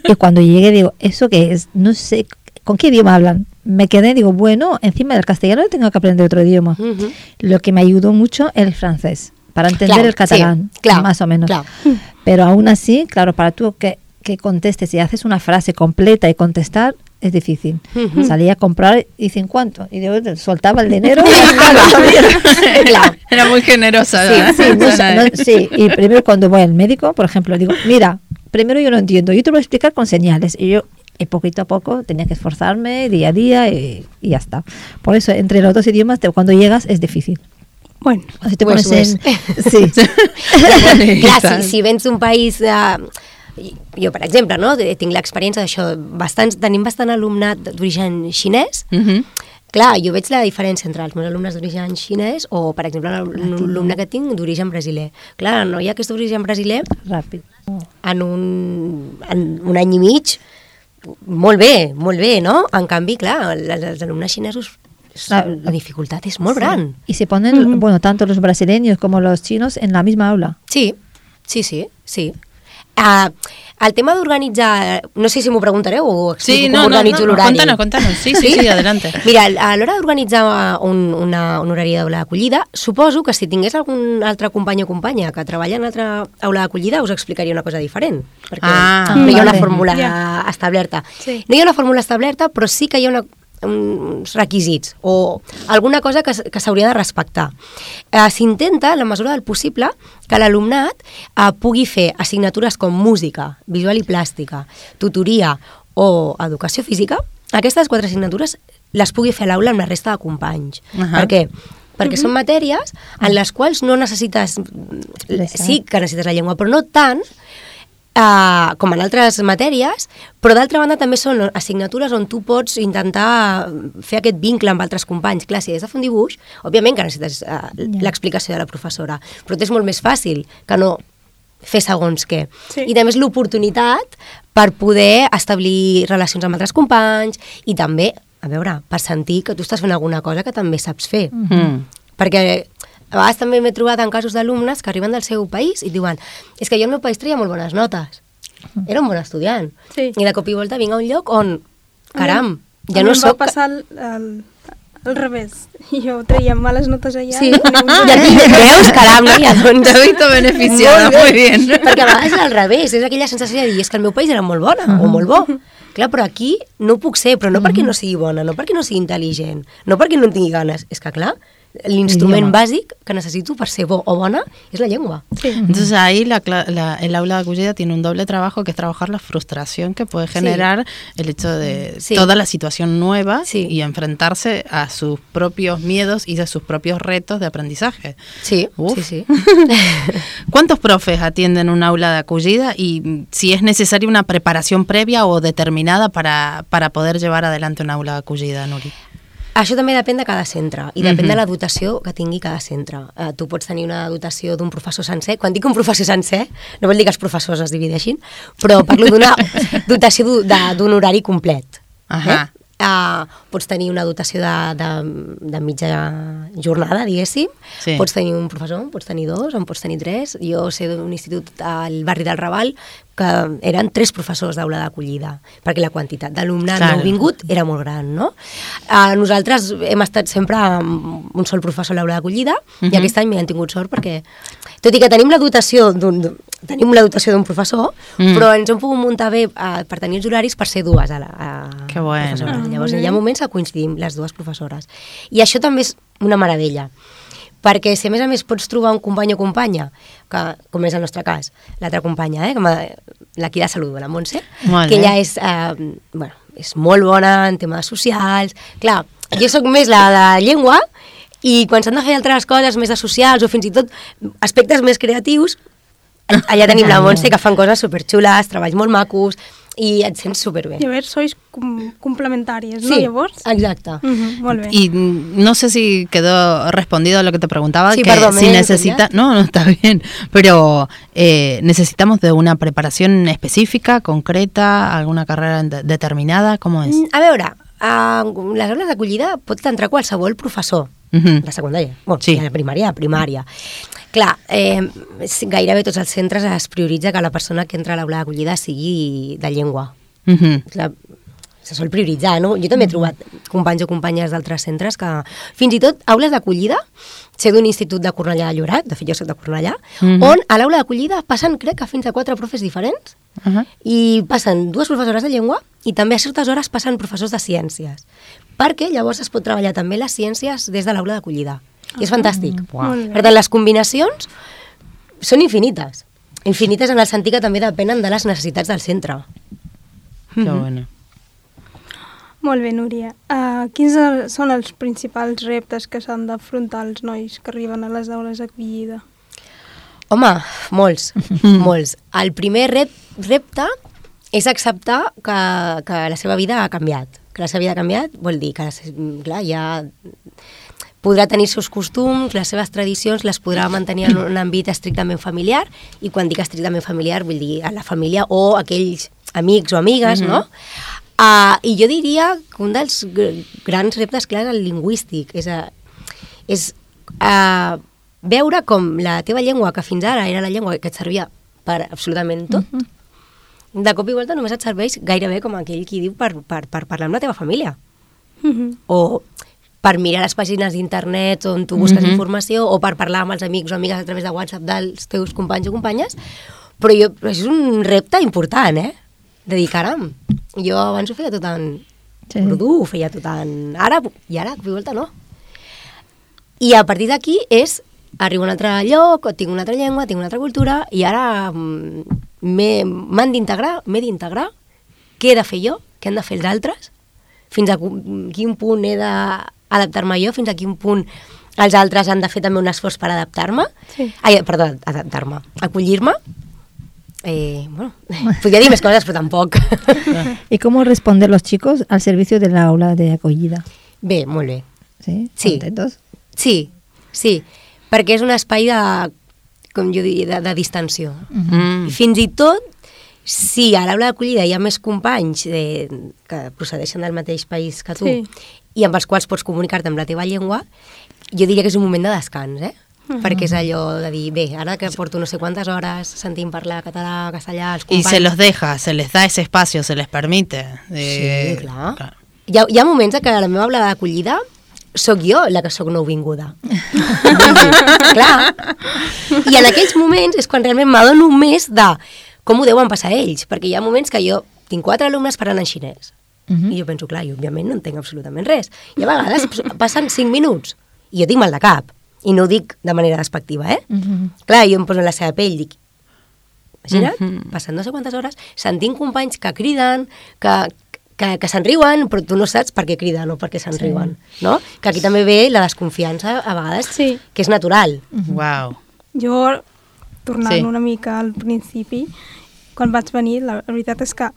Speaker 2: Y cuando llegué digo, ¿eso qué es? No sé, ¿con qué idioma hablan? Me quedé, digo, bueno, encima del castellano tengo que aprender otro idioma. Uh-huh. Lo que me ayudó mucho el francés, para entender claro, el catalán, sí, claro, más o menos. Claro. Pero aún así, claro, para tú que, que contestes y haces una frase completa y contestar, es difícil. Uh-huh. Salía a comprar y dicen ¿cuánto? Y yo soltaba el dinero.
Speaker 1: Claro. Era muy generosa.
Speaker 2: Sí, sí, no, no, sí, y primero cuando voy al médico, por ejemplo, digo, mira, primero yo no entiendo, yo te lo voy a explicar con señales. Y yo, y poquito a poco, tenía que esforzarme día a día y, y ya está. Por eso, entre los dos idiomas, te, cuando llegas es difícil.
Speaker 3: Bueno,
Speaker 2: si te
Speaker 4: pues,
Speaker 2: pones
Speaker 4: pues.
Speaker 2: en... Sí.
Speaker 4: Clar, si, si vens un país... Uh, jo, per exemple, no, tinc l'experiència d'això, bastants, tenim bastant alumnat d'origen xinès. Uh-huh. Clar, jo veig la diferència entre els meus alumnes d'origen xinès o, per exemple, l'alumne que tinc d'origen brasiler. Clar, no hi ha aquest origen brasiler
Speaker 2: ràpid.
Speaker 4: En un, en un any i mig, molt bé, molt bé, no? En canvi, clar, els alumnes xinesos, la, la dificultad es muy sí. gran.
Speaker 2: Y se ponen, uh-huh. bueno, tanto los brasileños como los chinos en la misma aula.
Speaker 4: Sí, sí, sí, sí. Uh, el tema d'organitzar, no sé si m'ho preguntareu o explico
Speaker 1: sí,
Speaker 4: com
Speaker 1: no,
Speaker 4: organitzo
Speaker 1: no, no,
Speaker 4: l'horari.
Speaker 1: Contanos, contanos, sí, sí, sí, adelante.
Speaker 4: Mira, a l'hora d'organitzar un, una, un horari d'aula d'acollida, suposo que si tingués algun altre company o companya que treballa en altra aula d'acollida us explicaria una cosa diferent, perquè
Speaker 1: ah,
Speaker 4: no hi ha
Speaker 1: vale.
Speaker 4: una fórmula yeah. establerta.
Speaker 3: Sí.
Speaker 4: No hi ha una fórmula establerta, però sí que hi ha una uns requisits o alguna cosa que, que s'hauria de respectar. Eh, s'intenta, en la mesura del possible, que l'alumnat eh, pugui fer assignatures com música, visual i plàstica, tutoria o educació física. Aquestes quatre assignatures les pugui fer a l'aula amb la resta de companys. Uh-huh. Per què? Perquè uh-huh. són matèries en les quals no necessites... Sí que necessites la llengua, però no tant Uh, com en altres matèries, però d'altra banda també són assignatures on tu pots intentar fer aquest vincle amb altres companys. Clar, si has de fer un dibuix, òbviament que necessites uh, yeah. l'explicació de la professora, però és molt més fàcil que no fer segons què. Sí. I també és l'oportunitat per poder establir relacions amb altres companys i també, a veure, per sentir que tu estàs fent alguna cosa que també saps fer. Mm-hmm. Perquè a vegades també m'he trobat en casos d'alumnes que arriben del seu país i diuen és que jo al meu país treia molt bones notes. Era un bon estudiant. Sí. I de cop i volta vinc a un lloc on, caram, ja no soc...
Speaker 3: A mi em va passar el, el, al revés. Jo treia males notes allà.
Speaker 4: Sí. Ja veus, caram, no? Ja, doncs...
Speaker 1: Te he visto beneficiada, muy bien.
Speaker 4: Perquè a vegades és al revés, és aquella sensació de dir és que el meu país era molt bona, uh-huh. o molt bo. Clar, però aquí no ho puc ser, però no mm-hmm. perquè no sigui bona, no perquè no sigui intel·ligent, no perquè no en tingui ganes. És que, clar, l'instrument básico que necesito para ser bo o bona es la lengua.
Speaker 1: Sí. Entonces ahí la, la, el aula de acollida tiene un doble trabajo, que es trabajar la frustración que puede generar sí. el hecho de sí. toda la situación nueva sí. y enfrentarse a sus propios miedos y a sus propios retos de aprendizaje.
Speaker 4: Sí, Uf. sí, sí.
Speaker 1: ¿Cuántos profes atienden un aula de acollida y si es necesaria una preparación previa o determinada para, para poder llevar adelante un aula de acollida, Nuri?
Speaker 4: Això també depèn de cada centre i depèn uh-huh. de la dotació que tingui cada centre. Uh, tu pots tenir una dotació d'un professor sencer. Quan dic un professor sencer, no vol dir que els professors es divideixin, però parlo d'una dotació d'un horari complet.
Speaker 1: Uh-huh.
Speaker 4: Eh? Uh, pots tenir una dotació de, de, de mitja jornada, diguéssim. Sí. Pots tenir un professor, pots tenir dos, en pots tenir tres. Jo sé d'un institut al barri del Raval que eren tres professors d'aula d'acollida, perquè la quantitat d'alumnat claro. no vingut era molt gran, no? Uh, nosaltres hem estat sempre amb un sol professor a l'aula d'acollida uh-huh. i aquest any m'hi han tingut sort perquè, tot i que tenim la dotació d'un tenim la dotació d'un professor, mm. però ens hem pogut muntar bé uh, per tenir els horaris per ser dues a la a
Speaker 1: que bueno.
Speaker 4: professores. Llavors hi ha moments que coincidim les dues professores. I això també és una meravella, perquè si a més a més pots trobar un company o companya, que, com és el nostre cas, l'altra companya, eh, l'Aquí de Salut, la Montse, molt que ella és, eh, bueno, és molt bona en temes socials. Clar, jo sóc més la de llengua i quan s'han de fer altres coses més de socials o fins i tot aspectes més creatius, allà tenim la Montse que fan coses superxules, treballs molt macos, i et sents superbé.
Speaker 3: Llavors sois com complementàries, ¿no?
Speaker 4: Sí,
Speaker 3: llavors?
Speaker 4: exacte.
Speaker 3: Uh-huh, molt bé.
Speaker 1: Y no sé si quedó respondido a lo que te preguntaba,
Speaker 4: sí,
Speaker 1: que
Speaker 4: perdón,
Speaker 1: si necesita, no, no está bien, pero eh, necesitamos de una preparación específica, concreta, alguna carrera de determinada, ¿cómo es?
Speaker 4: A veure, a les aules d'acollida pot entrar qualsevol professor uh-huh. de secundària, bueno, sí. de primària, primària. Clar, eh, gairebé tots els centres es prioritza que la persona que entra a l'aula d'acollida sigui de llengua.
Speaker 1: Uh-huh.
Speaker 4: Clar, se sol prioritzar, no? Jo també he trobat companys o companyes d'altres centres que, fins i tot, aules d'acollida, sé d'un institut de Cornellà de Lloret, de fet jo soc de Cornellà, uh-huh. on a l'aula d'acollida passen, crec que fins a quatre profes diferents, uh-huh. i passen dues professores de llengua i també a certes hores passen professors de ciències, perquè llavors es pot treballar també les ciències des de l'aula d'acollida. I és fantàstic.
Speaker 1: Wow.
Speaker 4: Per tant, les combinacions són infinites. Infinites en el sentit que també depenen de les necessitats del centre.
Speaker 1: Que bueno.
Speaker 3: Molt bé, Núria. Uh, quins són els principals reptes que s'han d'afrontar els nois que arriben a les aules d'acollida?
Speaker 4: Home, molts, molts. El primer rep, repte és acceptar que, que la seva vida ha canviat. Que la seva vida ha canviat vol dir que, clar, ja podrà tenir els seus costums, les seves tradicions, les podrà mantenir en un àmbit estrictament familiar, i quan dic estrictament familiar vull dir a la família o aquells amics o amigues, mm-hmm. no? Uh, I jo diria que un dels grans reptes, clar, és el lingüístic, és, a, és a veure com la teva llengua, que fins ara era la llengua que et servia per absolutament tot, mm-hmm. de cop i volta només et serveix gairebé com aquell qui diu per, per, per parlar amb la teva família. Mm-hmm. O per mirar les pàgines d'internet on tu busques mm-hmm. informació, o per parlar amb els amics o amigues a través de WhatsApp dels teus companys o companyes, però jo, és un repte important, eh? De dir, caram, jo abans ho feia tot en sí. urdu, ho feia tot en àrab, i ara, a volta, no. I a partir d'aquí és, arribo a un altre lloc, tinc una altra llengua, tinc una altra cultura, i ara m'han d'integrar, m'he d'integrar, què he de fer jo, què han de fer els altres, fins a quin punt he d'adaptar-me jo, fins a quin punt els altres han de fer també un esforç per adaptar-me, sí. Ai, perdó, adaptar-me, acollir-me. Eh, bueno, podría dir més coses, però tampoc.
Speaker 2: ¿Y cómo responder los chicos al servicio de la aula de acogida?
Speaker 4: Bé, molt bé.
Speaker 2: Sí?
Speaker 4: Sí.
Speaker 2: ¿Contentos?
Speaker 4: Sí, sí, perquè és un espai de, com jo diria, de, de distensió.
Speaker 1: Mm.
Speaker 4: I fins i tot, si a l'aula d'acollida hi ha més companys de, que procedeixen del mateix país que tu, sí. i amb els quals pots comunicar-te amb la teva llengua, jo diria que és un moment de descans, eh? Uh-huh. Perquè és allò de dir, bé, ara que porto no sé quantes hores sentint parlar català, castellà, els companys...
Speaker 1: Y se los deja, se les da ese espacio, se les permite.
Speaker 4: Eh, sí, clar. clar. Hi ha, hi ha moments que a la meva aula d'acollida sóc jo la que sóc nouvinguda. Clar. I en aquells moments és quan realment m'adono més de com ho deuen passar ells, perquè hi ha moments que jo tinc quatre alumnes parlant en xinès. Uh -huh. I jo penso, clar, jo òbviament no entenc absolutament res. I a vegades passen cinc minuts i jo tinc mal de cap. I no ho dic de manera despectiva, eh? Uh -huh. Clar, jo em poso en la seva pell i dic, imagina't, uh -huh. passant no sé quantes hores, sentint companys que criden, que, que, que se'n riuen, però tu no saps per què criden o per què se'n sí. riuen, no? Que aquí també ve la desconfiança, a vegades, sí. que és natural.
Speaker 1: Uh -huh. Wow.
Speaker 3: Jo, tornant
Speaker 1: sí.
Speaker 3: una mica al principi, quan vaig venir, la veritat és que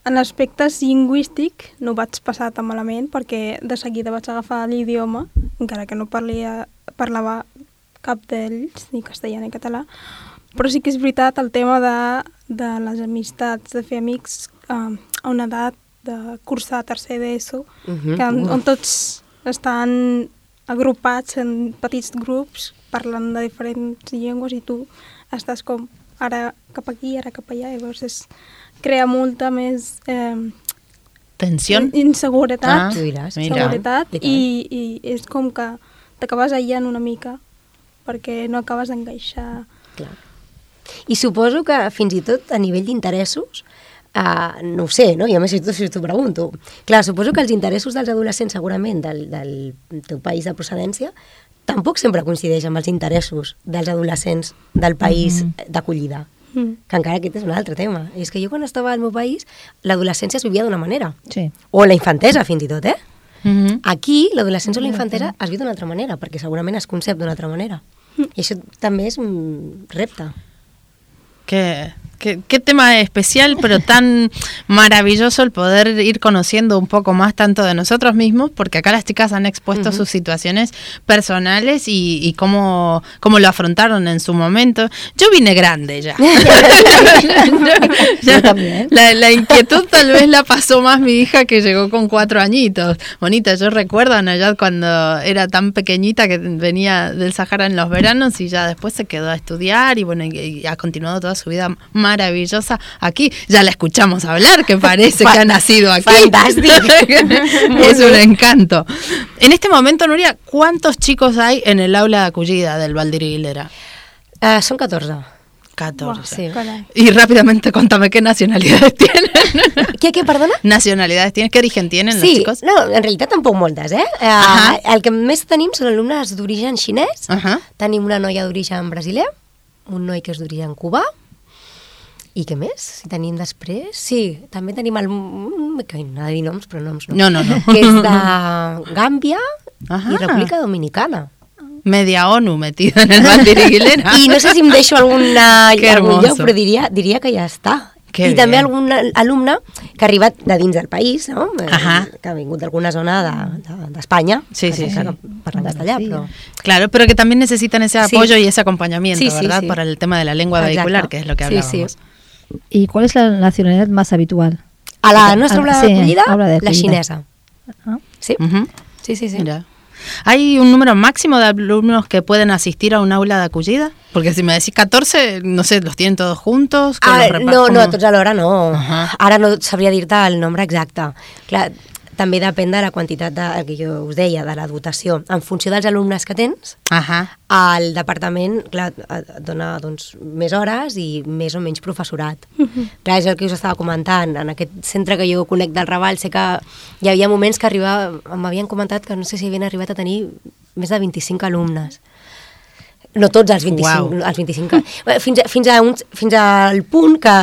Speaker 3: en aspectes lingüístic no vaig passar tan malament perquè de seguida vaig agafar l'idioma, encara que no parlia, parlava cap d'ells, ni castellà ni català, però sí que és veritat el tema de, de les amistats, de fer amics eh, a una edat de cursar tercer d'ESO, uh-huh. que on, on tots estan agrupats en petits grups parlant de diferents llengües i tu estàs com ara cap aquí, ara cap allà, llavors és, crea molta més eh,
Speaker 1: tensió,
Speaker 3: inseguretat,
Speaker 1: ah,
Speaker 3: seguretat i, i és com que t'acabes aïllant una mica perquè no acabes d'encaixar.
Speaker 4: Clar. I suposo que fins i tot a nivell d'interessos, uh, no ho sé, no? I a més si t'ho si pregunto. Clar, suposo que els interessos dels adolescents segurament del, del teu país de procedència tampoc sempre coincideix amb els interessos dels adolescents del país mm-hmm. d'acollida. Mm. Que encara aquest és un altre tema. I és que jo quan estava al meu país, l'adolescència es vivia d'una manera.
Speaker 2: Sí.
Speaker 4: O la infantesa, fins i tot, eh?
Speaker 1: Mm-hmm.
Speaker 4: Aquí, l'adolescència o la infantesa es viu d'una altra manera, perquè segurament es concep d'una altra manera. Mm. I això també és un repte.
Speaker 1: Qué, qué, qué tema especial, pero tan maravilloso el poder ir conociendo un poco más tanto de nosotros mismos, porque acá las chicas han expuesto uh-huh. sus situaciones personales y, y cómo, cómo lo afrontaron en su momento. Yo vine grande ya. ya también. La, la inquietud tal vez la pasó más mi hija, que llegó con cuatro añitos. Bonita, yo recuerdo a Nayad cuando era tan pequeñita, que venía del Sahara en los veranos y ya después se quedó a estudiar y bueno, y, y ha continuado toda su vida maravillosa aquí. Ya la escuchamos hablar, que parece que ha nacido aquí.
Speaker 4: Fantástico.
Speaker 1: Es un encanto. En este momento, Nuria, ¿cuántos chicos hay en el aula de acogida del Valdiriguilera?
Speaker 4: Uh, son catorze.
Speaker 1: catorce.
Speaker 4: Wow, sí.
Speaker 1: Y rápidamente contame qué nacionalidades tienen.
Speaker 4: ¿Qué, qué, perdona?
Speaker 1: Nacionalidades tienes, ¿qué origen tienen
Speaker 4: sí,
Speaker 1: los chicos?
Speaker 4: No, en realitat tampoc moltes, eh? Uh, el que més tenim són alumnes d'origen xinès, uh-huh. tenim una noia d'origen brasiler, un noi que és d'origen cubà, i què més? Si tenim després... Sí, també tenim el... que no ha de dir noms, però noms no.
Speaker 1: No, no, no.
Speaker 4: Que és de Gàmbia i República Dominicana.
Speaker 1: Media ONU metida en el Valdiriguilera.
Speaker 4: I no sé si em deixo alguna, algun lloc, però diria, diria que ja està.
Speaker 1: Que
Speaker 4: I
Speaker 1: bien.
Speaker 4: També algun alumne que ha arribat de dins del país, no?
Speaker 1: Ajá.
Speaker 4: Que ha vingut d'alguna zona d'Espanya, de, de,
Speaker 1: sí, sí, sí.
Speaker 4: que parla castellà,
Speaker 2: sí.
Speaker 4: però...
Speaker 1: Claro, pero que también necesitan ese apoyo
Speaker 4: sí.
Speaker 1: y ese acompañamiento,
Speaker 4: sí, sí,
Speaker 1: ¿verdad?
Speaker 4: Sí.
Speaker 1: Para el tema de la lengua
Speaker 4: Exacto.
Speaker 1: vehicular, que es lo que hablábamos.
Speaker 4: Sí, sí.
Speaker 2: ¿Y cuál es la nacionalidad más habitual?
Speaker 4: A la nuestra aula
Speaker 2: sí,
Speaker 4: de acollida,
Speaker 2: aula de
Speaker 4: la
Speaker 2: acollida.
Speaker 4: xinesa.
Speaker 2: Ah.
Speaker 4: Sí.
Speaker 1: Uh-huh.
Speaker 4: sí, sí, sí.
Speaker 1: Mira. ¿Hay un número máximo de alumnos que pueden asistir a un aula de acogida? Porque si me decís catorce, no sé, ¿los tienen todos juntos?
Speaker 4: Ah,
Speaker 1: los
Speaker 4: no,
Speaker 1: ¿cómo?
Speaker 4: no, tots alhora no.
Speaker 1: Uh-huh.
Speaker 4: Ara no sabria dir-te el nombre exacte. Clar, també depèn de la quantitat de, el que jo us deia, de la dotació. En funció dels alumnes que tens,
Speaker 1: uh-huh.
Speaker 4: el departament clar, et dona doncs, més hores i més o menys professorat. Uh-huh. Clar, és el que us estava comentant. En aquest centre que jo conec del Raval, sé que hi havia moments que arribava, m'havien comentat que no sé si havien arribat a tenir més de vint-i-cinc alumnes. No tots els vint-i-cinc.
Speaker 1: Wow.
Speaker 4: Els vint-i-cinc fins, a, fins, a un, fins al punt que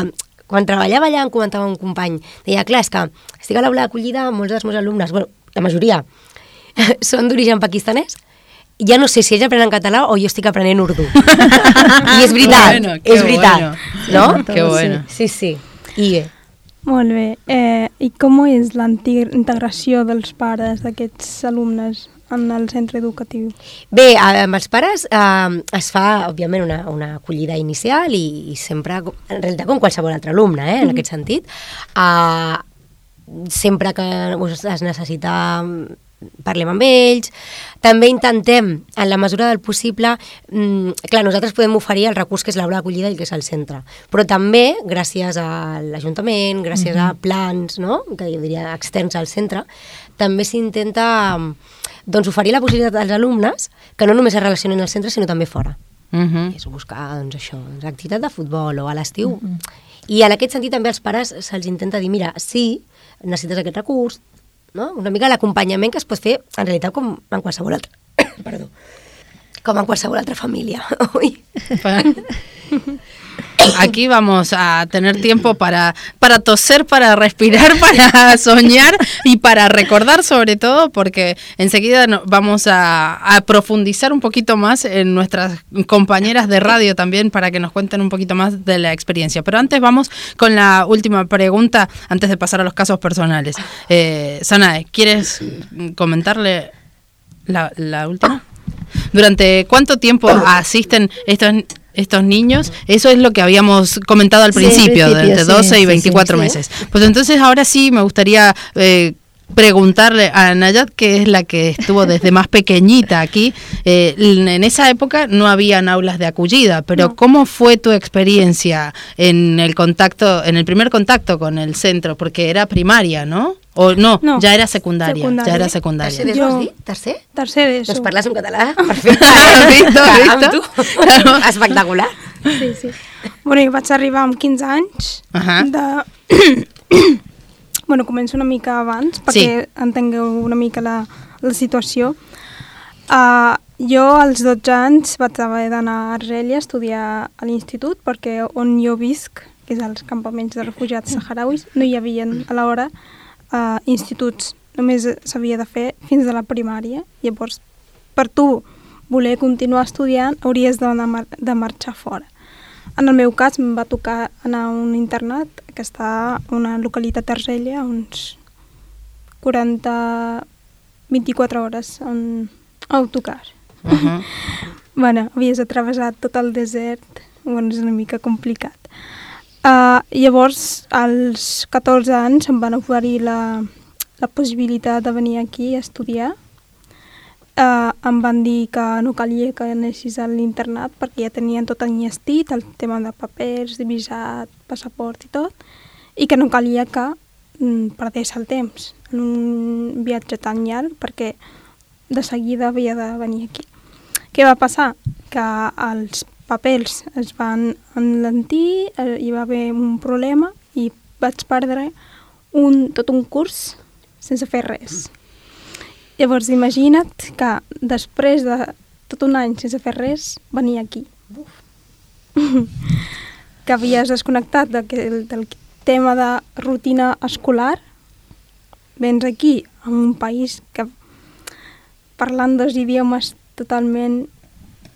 Speaker 4: quan treballava allà em comentava un company, deia, clar, és que estic a l'aula d'acollida, molts dels meus alumnes, bueno, la majoria, són d'origen pakistanès, ja no sé si ells aprenen català o jo estic aprenent urdu. I és veritat,
Speaker 1: bueno,
Speaker 4: és veritat,
Speaker 1: bueno.
Speaker 4: no?
Speaker 1: Que bueno.
Speaker 4: Sí, sí. I bé.
Speaker 3: Molt bé. Eh, I com és la integració dels pares d'aquests alumnes en el centre educatiu?
Speaker 4: Bé, amb els pares eh, es fa, òbviament, una, una acollida inicial i, i sempre, en realitat, com qualsevol altre alumne, eh, en mm-hmm. aquest sentit. Eh, sempre que es necessita, parlem amb ells. També intentem, en la mesura del possible, mmm, clar, nosaltres podem oferir el recurs que és l'aula d'acollida i que és el centre, però també, gràcies a l'Ajuntament, gràcies mm-hmm. a plans, no?, que jo diria externs al centre, també s'intenta doncs, oferir la possibilitat als alumnes que no només es relacionin al centre, sinó també fora.
Speaker 1: Uh-huh.
Speaker 4: És buscar, doncs, això, doncs, activitat de futbol o a l'estiu. Uh-huh. I en aquest sentit també als pares se'ls intenta dir, mira, sí, necessites aquest recurs, no? Una mica l'acompanyament que es pot fer en realitat com en qualsevol altra, perdó, com en qualsevol altra família. Ui.
Speaker 1: Aquí vamos a tener tiempo para, para toser, para respirar, para soñar y para recordar sobre todo, porque enseguida no, vamos a, a profundizar un poquito más en nuestras compañeras de radio también para que nos cuenten un poquito más de la experiencia. Pero antes vamos con la última pregunta, antes de pasar a los casos personales. Eh, Sanae, ¿quieres comentarle la, la última? ¿Durante cuánto tiempo asisten estos estos niños? Eso es lo que habíamos comentado al principio, sí, de entre doce sí, y veinticuatro sí, sí, meses. Sí. Pues entonces ahora sí me gustaría eh, preguntarle a Nayat, que es la que estuvo desde más pequeñita aquí. Eh, en esa época no habían aulas de acogida, pero no. ¿Cómo fue tu experiencia en el contacto, en el primer contacto con el centro? Porque era primaria, ¿no? O no, no, ja era secundària, secundària. Ja era secundària.
Speaker 4: Tercer d'ESO, has dit? Tercer?
Speaker 3: Tercer d'ESO.
Speaker 4: Doncs parles en català, perfecte.
Speaker 1: Visto, visto.
Speaker 4: Claro. Espectacular.
Speaker 3: Sí, sí. Bueno, jo vaig arribar amb quinze anys. Uh -huh. de... bueno, començo una mica abans, perquè sí. entengueu una mica la, la situació. Uh, jo, als dotze anys, vaig haver d'anar a Argèlia a estudiar a l'institut, perquè on jo visc, que és als campaments de refugiats saharauis, no hi havia a l'hora Uh, instituts, només s'havia de fer fins a la primària. Llavors, per tu voler continuar estudiant, hauries de, mar de marxar fora. En el meu cas, em va tocar anar a un internat que està a una localitat d'Argèlia, uns quaranta, vint-i-quatre hores en autocar. Uh -huh. Bueno, havies atravessat tot el desert, bueno, és una mica complicat. Uh, llavors, als catorze anys em van oferir la, la possibilitat de venir aquí a estudiar. Uh, em van dir que no calia que anessis a l'internat perquè ja tenien tot enllestit, el tema de papers, de visat, passaport i tot, i que no calia que mm, perdés el temps en un viatge tan llarg perquè de seguida havia de venir aquí. Què va passar? Que els papers es van enlentir, eh, hi va haver un problema i vaig perdre un, tot un curs sense fer res. Llavors imagina't que després de tot un any sense fer res, venia aquí. Que havies desconnectat de, del, del tema de rutina escolar, vens aquí a un país que parlant dos idiomes totalment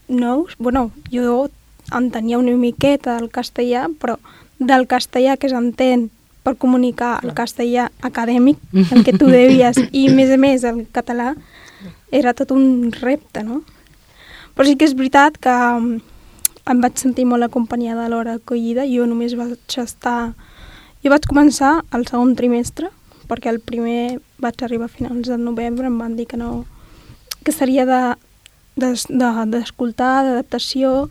Speaker 3: nous, bueno, jo entenia una miqueta del castellà, però del castellà que s'entén per comunicar el castellà acadèmic, el que tu devies, i a més a més el català, era tot un repte, no? Però sí que és veritat que em vaig sentir molt acompanyada a l'hora d'acollida. Jo només vaig estar... Jo vaig començar el segon trimestre, perquè el primer vaig arribar a finals de novembre, em van dir que no... que seria de d'escoltar, de, de, d'adaptació,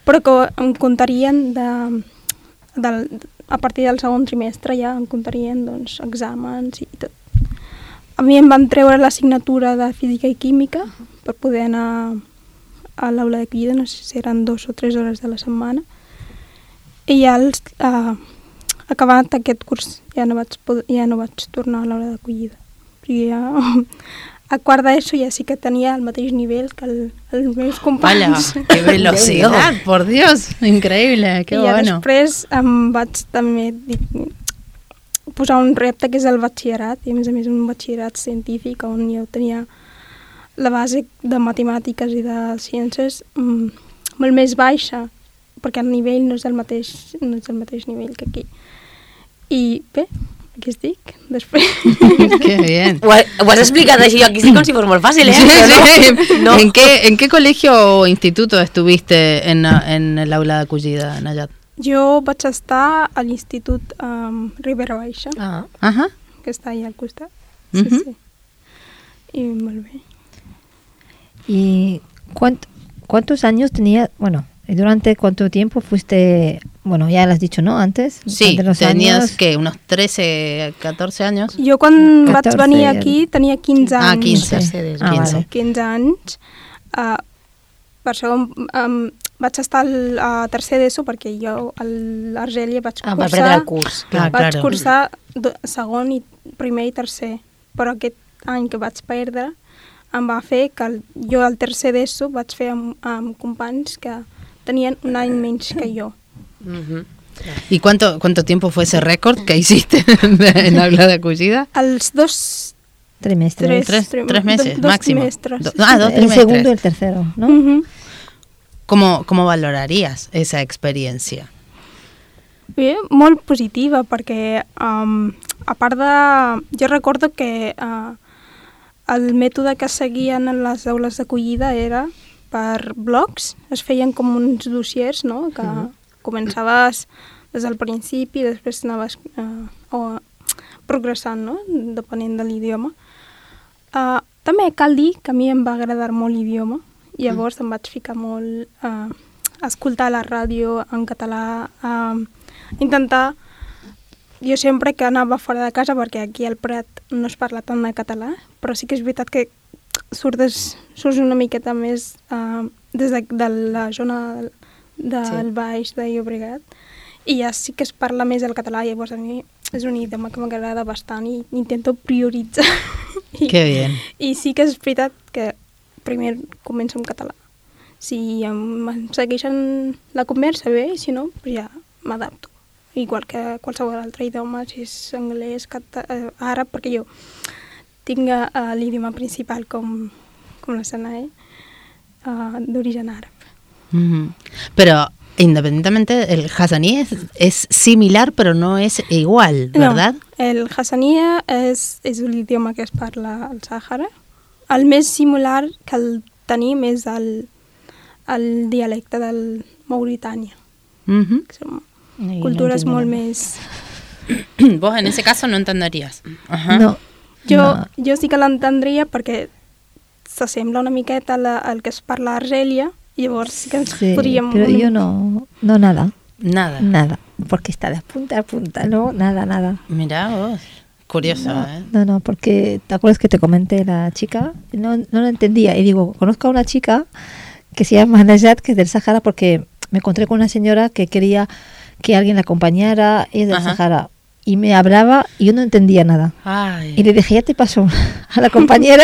Speaker 3: però que em comptarien de, de, a partir del segon trimestre ja em comptarien doncs, exàmens i tot. A mi em van treure l'assignatura de física i química per poder anar a l'aula d'acollida, no sé si eren dos o tres hores de la setmana, i ja els, eh, acabat aquest curs ja no vaig, poder, ja no vaig tornar a l'aula d'acollida. Perquè ja... A quart d'ESO ja sí que tenia el mateix nivell que el, els meus companys.
Speaker 1: Vaya, que velocidad, por Dios, increïble, que
Speaker 3: I
Speaker 1: bueno.
Speaker 3: I després em vaig també dir, posar un repte que és el batxillerat, i a més a més un batxillerat científic on jo tenia la base de matemàtiques i de ciències mm, molt més baixa, perquè el nivell no és el mateix, no és el mateix nivell que aquí. I bé, aquí estic, després.
Speaker 1: Qué bien.
Speaker 4: Ho, ho has explicat així, aquí sí com si fos molt fàcil, ¿eh?
Speaker 1: Sí, sí.
Speaker 4: No.
Speaker 1: ¿En qué, ¿En qué colegio o instituto estuviste en, en el aula d'acollida, Nayat?
Speaker 3: Jo vaig estar a l'Institut um, Ribera Baixa,
Speaker 1: ah. Ajá.
Speaker 3: que està allà al costat. Sí,
Speaker 1: uh-huh.
Speaker 3: sí. Y molt bé.
Speaker 2: ¿Y cuánto, cuántos años tenía, bueno, durante cuánto tiempo fuiste, bueno, ya lo has dicho, ¿no? Antes.
Speaker 1: Sí,
Speaker 2: los
Speaker 1: tenías,
Speaker 2: años.
Speaker 1: ¿qué? Unos trece, catorce años.
Speaker 3: Jo quan catorze, vaig venir aquí tenia quinze anys.
Speaker 1: Ah, quinze.
Speaker 2: Sí. Ah,
Speaker 1: quinze.
Speaker 2: vale.
Speaker 3: quinze anys. Uh, per això um, vaig estar al, a tercer d'ESO perquè jo a l'Argèlia vaig
Speaker 4: Ah,
Speaker 3: cursar...
Speaker 4: va prendre el curs.
Speaker 1: Ah,
Speaker 3: vaig
Speaker 1: claro.
Speaker 3: cursar do, segon, i primer i tercer. Però aquest any que vaig perdre em va fer que el, jo al tercer d'ESO vaig fer amb, amb companys que tenien un any menys que jo.
Speaker 4: Mhm.
Speaker 1: ¿Y cuánto cuánto tiempo fue ese récord que hiciste en aula de acogida?
Speaker 3: Els dos...
Speaker 2: Trimestres.
Speaker 1: Tres,
Speaker 3: trim-
Speaker 1: tres meses
Speaker 3: do- dos
Speaker 1: máximo.
Speaker 3: trimestres.
Speaker 1: Do- ah, dos
Speaker 2: el
Speaker 1: trimestres.
Speaker 2: segundo y el tercero, ¿no?
Speaker 3: Mhm.
Speaker 1: ¿Cómo, ¿Cómo valorarías esa experiencia?
Speaker 3: Bé, molt positiva, perquè um, a part de... Jo recordo que uh, el mètode que seguien en les aules d'acollida era per blocs, es feien com uns dossiers, no?, que uh-huh. començaves des del principi i després anaves uh, o, progressant, no?, depenent de l'idioma. Uh, també cal dir que a mi em va agradar molt l'idioma, i llavors em vaig ficar molt uh, a escoltar la ràdio en català, a uh, intentar... Jo sempre que anava fora de casa, perquè aquí al Prat no es parla tant de català, però sí que és veritat que surts, surts una miqueta més uh, des de, de la zona del
Speaker 4: Sí.
Speaker 3: Baix de Llobregat, i ja sí que es parla més el català, llavors a mi és un idioma que m'agrada bastant i intento prioritzar. I,
Speaker 1: Qué bien.
Speaker 3: I sí que és veritat que primer començo en català. Si em segueixen la conversa bé, i si no, pues ja m'adapto. Igual que qualsevol altre idioma, si és anglès, cata, eh, àrab, perquè jo tinc uh, l'idioma principal com, com la Sanae, uh, d'origen àrab.
Speaker 1: Ujú. Pero independientemente, el hazaní es, es similar, pero no es igual, ¿verdad?
Speaker 3: No, el hassania és, és l'idioma que es parla al Sàhara. El més similar que el tenim és el, el dialecte del Mauritània.
Speaker 1: Ujú.
Speaker 3: Que són
Speaker 2: Ay, no
Speaker 3: cultures
Speaker 2: entiendo
Speaker 3: molt
Speaker 2: nada.
Speaker 3: més...
Speaker 1: Vos en ese caso no entenderías. Ajá.
Speaker 2: No,
Speaker 3: Jo,
Speaker 2: no.
Speaker 3: jo sí que l'entendria perquè s'assembla una miqueta al, al que es parla a Argèlia, i llavors sí que ens
Speaker 2: Sí,
Speaker 3: podríem...
Speaker 2: pero yo no, no nada,
Speaker 1: Nada.
Speaker 2: nada, porque está de punta a punta, no, nada, nada.
Speaker 1: Mirá vos. Curioso,
Speaker 2: No,
Speaker 1: ¿eh?
Speaker 2: no, no, porque ¿te acuerdas que te comenté la chica? No, no lo entendía y digo, conozco a una chica que se llama Najat, que es del Sahara, porque me encontré con una señora que quería que alguien la acompañara, es del
Speaker 1: Ajá.
Speaker 2: Sahara, y me hablaba y yo no entendía nada.
Speaker 1: Ay.
Speaker 2: Y le dije, ya te pasó a la compañera,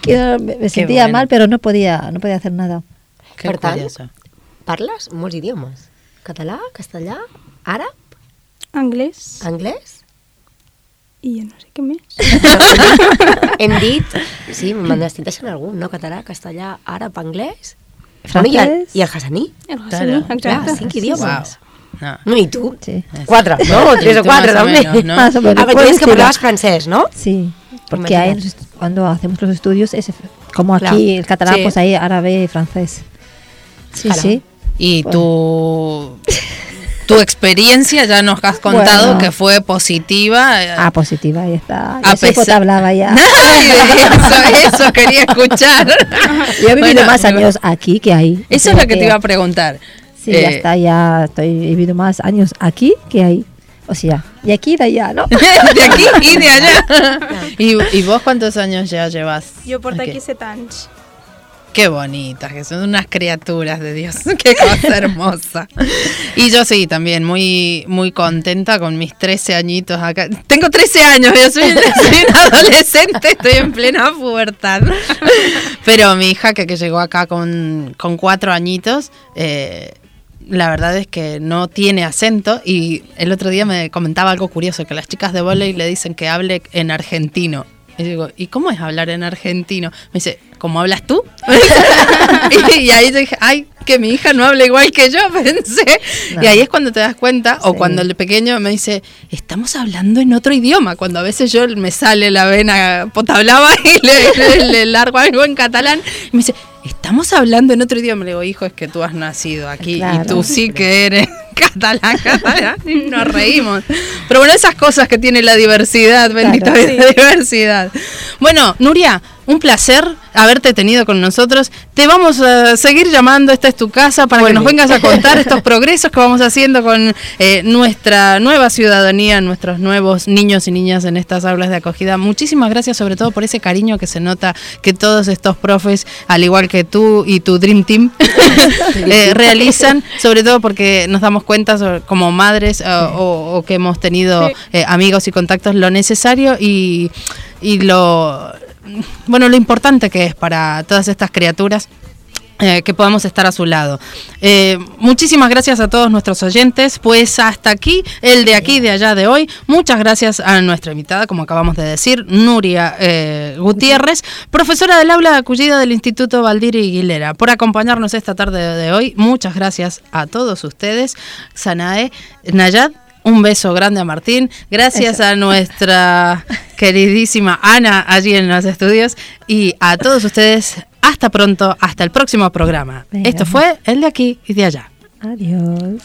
Speaker 2: que no- me, me sentía
Speaker 1: bueno.
Speaker 2: mal, pero no podía, no podía hacer nada.
Speaker 1: Qué
Speaker 4: Per tant,
Speaker 1: curioso.
Speaker 4: parles molts idiomes. Català, castellà, àrab,
Speaker 3: Anglès,
Speaker 4: anglès...
Speaker 3: i jo no sé què més.
Speaker 4: Hem dit, sí, me'n estic deixant algun, no? Català, castellà, àrab, anglès...
Speaker 2: Francès.
Speaker 4: I el, i el hassaní.
Speaker 3: El Hassani,
Speaker 1: Claro.
Speaker 3: exacte.
Speaker 4: Clar, cinc idiomes.
Speaker 1: Wow. No.
Speaker 4: No, i tu?
Speaker 2: Sí.
Speaker 4: Quatre, no?
Speaker 1: Bueno,
Speaker 4: Tres
Speaker 1: y
Speaker 4: o
Speaker 1: tú
Speaker 4: quatre,
Speaker 1: más o
Speaker 4: també.
Speaker 1: menos, ¿no?
Speaker 2: Más o menos.
Speaker 4: Ah, però tu
Speaker 2: puedes
Speaker 4: dius que
Speaker 2: decirlo.
Speaker 4: parlaves francès, no?
Speaker 2: Sí, porque ahí
Speaker 4: Imagínate.
Speaker 2: nos- cuando hacemos los estudios, es como
Speaker 4: Claro.
Speaker 2: aquí el catalán,
Speaker 4: Sí.
Speaker 2: pues ahí árabe y francés. Sí,
Speaker 4: Claro.
Speaker 2: sí.
Speaker 1: Y
Speaker 2: Pues-
Speaker 1: tu, tu experiencia ya nos has contado
Speaker 2: Bueno.
Speaker 1: que fue positiva.
Speaker 2: Ah, positiva, ahí está.
Speaker 1: A
Speaker 2: Ya sé
Speaker 1: pesar-
Speaker 2: te hablaba ya.
Speaker 1: Ay, eso, eso quería escuchar.
Speaker 2: Yo he vivido
Speaker 1: Bueno,
Speaker 2: más años aquí que ahí.
Speaker 1: Eso
Speaker 2: O
Speaker 1: es
Speaker 2: sea
Speaker 1: lo que te iba a preguntar.
Speaker 2: Sí, ya
Speaker 1: Eh,
Speaker 2: está, ya estoy, he vivido más años aquí que ahí. O sea, de aquí y de allá, ¿no?
Speaker 1: de aquí y de allá. ¿Y, y vos cuántos años ya llevas?
Speaker 3: Jo porto
Speaker 1: aquí?
Speaker 3: aquí set anys.
Speaker 1: Qué bonitas, que son unas criaturas de Dios. Qué cosa hermosa. Y yo sí, también muy muy contenta con mis trece añitos acá. Tengo trece años, yo soy, soy una adolescente, estoy en plena pubertad. Pero mi hija, que, que llegó acá con, con cuatro añitos, eh, la verdad es que no tiene acento. Y el otro día me comentaba algo curioso, que las chicas de vóley le dicen que hable en argentino. Y digo, ¿y cómo es hablar en argentino? Me dice, ¿cómo hablas tú? y, y ahí yo dije, ay, que mi hija no habla igual que yo, pensé.
Speaker 2: No.
Speaker 1: Y ahí es cuando te das cuenta, o
Speaker 2: Sí.
Speaker 1: cuando el pequeño me dice, estamos hablando en otro idioma, cuando a veces yo me sale la vena potablava y le, le, le largo algo en catalán, y me dice, estamos hablando en otro idioma. Le digo, hijo, es que tú has nacido aquí
Speaker 2: Claro.
Speaker 1: y tú sí que eres catalán, catalán, y nos reímos. Pero bueno, esas cosas que tiene la diversidad, bendita
Speaker 2: Claro.
Speaker 1: vida, la diversidad. Bueno, Nuria, un placer haberte tenido con nosotros. Te vamos a seguir llamando, esta es tu casa, para Muy que bien. nos vengas a contar estos progresos que vamos haciendo con eh, nuestra nueva ciudadanía, nuestros nuevos niños y niñas en estas aulas de acogida. Muchísimas gracias, sobre todo por ese cariño que se nota que todos estos profes, al igual que tú y tu Dream Team, eh, realizan, sobre todo porque nos damos cuenta sobre, como madres eh, o, o que hemos tenido eh, amigos y contactos, lo necesario y, y lo... bueno, lo importante que es para todas estas criaturas eh, que podamos estar a su lado. Eh, muchísimas gracias a todos nuestros oyentes, pues hasta aquí, el de aquí, de allá, de hoy. Muchas gracias a nuestra invitada, como acabamos de decir, Nuria eh, Gutiérrez, profesora del aula de acogida del Instituto Baldiri y Guilera, por acompañarnos esta tarde de hoy. Muchas gracias a todos ustedes. Sanae, Nayad, un beso grande a Martín. Gracias Eso. a nuestra queridísima Ana allí en los estudios. Y a todos ustedes, hasta pronto, hasta el próximo programa. Venga. Esto fue el de aquí y de allá.
Speaker 2: Adiós.